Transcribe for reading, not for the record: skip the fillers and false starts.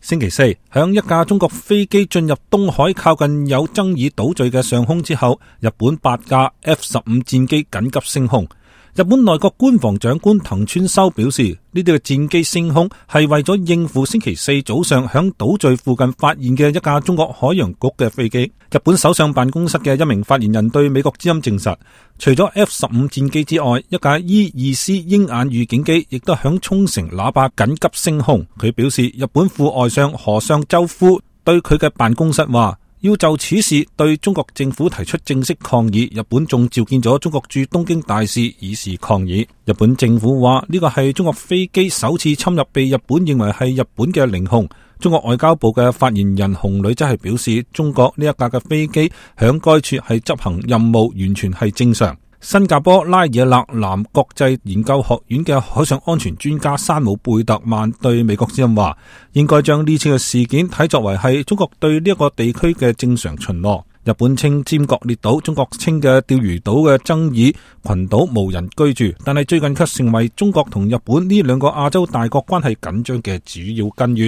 星期四，響一架中國飛機進入東海靠近有爭議島嶼嘅上空之後，日本8架 F-15 戰機緊急升空。日本內閣官房長官藤村修表示，呢啲嘅戰機升空係為咗應付星期四早上響島嶼附近發現嘅一架中國海洋局嘅飛機。日本首相辦公室嘅一名發言人對美國之音證實，除咗 F-15 戰機之外，一架 E-2C 鷹眼預警機亦都響沖繩喇叭緊急升空。佢表示，日本副外相河上周夫對佢嘅辦公室話，要就此事對中國政府提出正式抗議，日本仲召見咗中國駐東京大使以示抗議。日本政府話呢個係中國飛機首次侵入被日本認為係日本嘅領空。中國外交部嘅發言人洪磊則係表示，中國呢一架嘅飛機響該處係執行任務，完全係正常。新加坡拉爾勒南國際研究學院嘅海上安全專家山姆貝特曼對美國之音話，應該將呢次嘅事件睇作為係中國對呢一個地區嘅正常巡邏。日本稱尖閣列島，中國稱嘅釣魚島嘅爭議群島無人居住，但係最近卻成為中國同日本呢兩個亞洲大國關係緊張嘅主要根源。